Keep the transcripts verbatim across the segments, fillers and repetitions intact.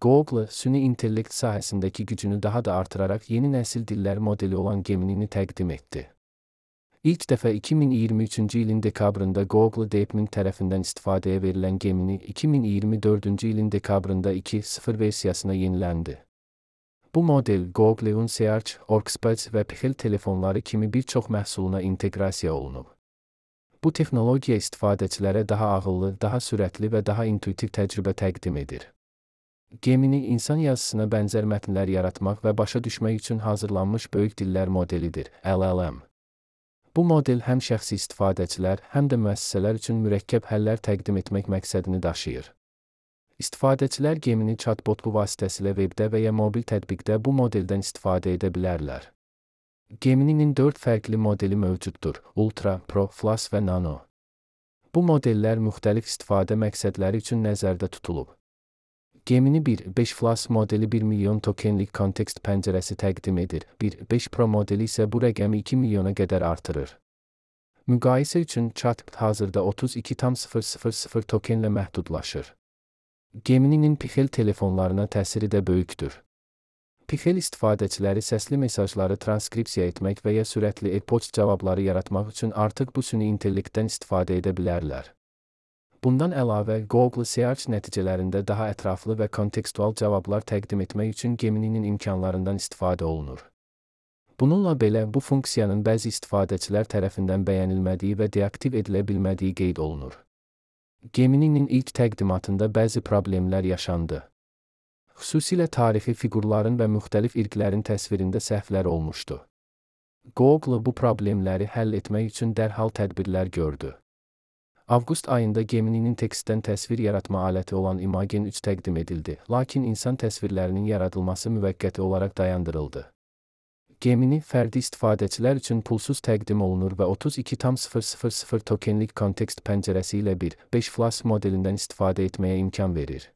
Google, süni intellekt sahəsindəki gücünü daha da artırarak yeni nəsil dillər modeli olan Gemini'ni təqdim etdi. İlk dəfə iki min iyirmi üçüncü ilin dekabrında Google DeepMind tərəfindən istifadəyə verilən Gemini, iki min iyirmi dördüncü ilin dekabrında iki nöqtə sıfır versiyasına yeniləndi. Bu model, Google'un Search, Workspace və Pixel telefonları kimi bir çox məhsuluna inteqrasiya olunub. Bu texnologiya istifadəçilərə daha ağıllı, daha sürətli və daha intuitiv təcrübə təqdim edir. Gemini, insan yazısına bənzər mətnlər yaratmaq və başa düşmək üçün hazırlanmış böyük dillər modelidir, L L M. Bu model həm şəxsi istifadəçilər, həm də müəssisələr üçün mürəkkəb həllər təqdim etmək məqsədini daşıyır. İstifadəçilər Gemini chatbotu vasitəsilə webdə və ya mobil tətbiqdə bu modeldən istifadə edə bilərlər. Gemini'nin dörd fərqli modeli mövcuddur: Ultra, Pro, Plus və Nano. Bu modellər müxtəlif istifadə məqsədləri üçün nəzərdə tutulub. Gemini bir nöqtə beş Plus modeli bir milyon tokenlik kontekst pəncərəsi təqdim edir, bir nöqtə beş Pro modeli isə bu rəqəmi iki milyona qədər artırır. Müqayisə üçün chat hazırda otuz iki nöqtə sıfır sıfır sıfır tokenlə məhdudlaşır. Gemini'nin Pixel telefonlarına təsiri də böyükdür. Pixel istifadəçiləri səsli mesajları transkripsiya etmək və ya sürətli e-poçt cavabları yaratmaq üçün artıq bu süni intellektdən istifadə edə bilərlər. Bundan əlavə, Google Search nəticələrində daha ətraflı və kontekstual cavablar təqdim etmək üçün Gemini'nin imkanlarından istifadə olunur. Bununla belə, bu funksiyanın bəzi istifadəçilər tərəfindən bəyənilmədiyi və deaktiv edilə bilmədiyi qeyd olunur. Gemini'nin ilk təqdimatında bəzi problemlər yaşandı. Xüsusilə tarixi fiqurların və müxtəlif irqlərin təsvirində səhvlər olmuşdu. Google bu problemləri həll etmək üçün dərhal tədbirlər gördü. Avqust ayında Gemini'nin tekstdən təsvir yaratma aləti olan Imagen üç təqdim edildi, lakin insan təsvirlərinin yaradılması müvəqqəti olaraq dayandırıldı. Gemini, fərdi istifadəçilər üçün pulsuz təqdim olunur və otuz iki nöqtə sıfır sıfır sıfır tokenlik kontekst pəncərəsi ilə bir nöqtə beş Plus modelindən istifadə etməyə imkan verir.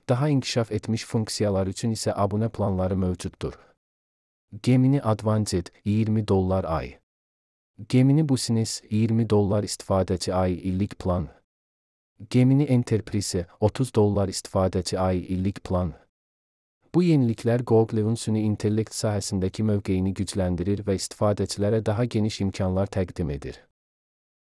Daha inkişaf etmiş funksiyalar üçün isə abunə planları mövcuddur. Gemini Advanced iyirmi dollar ay. Gemini Business iyirmi dollar istifadəçi ay illik plan. Gemini Enterprise otuz dollar istifadəçi ay illik plan. Bu yeniliklər Google'un süni intellekt sahəsindəki mövqeyini gücləndirir və istifadəçilərə daha geniş imkanlar təqdim edir.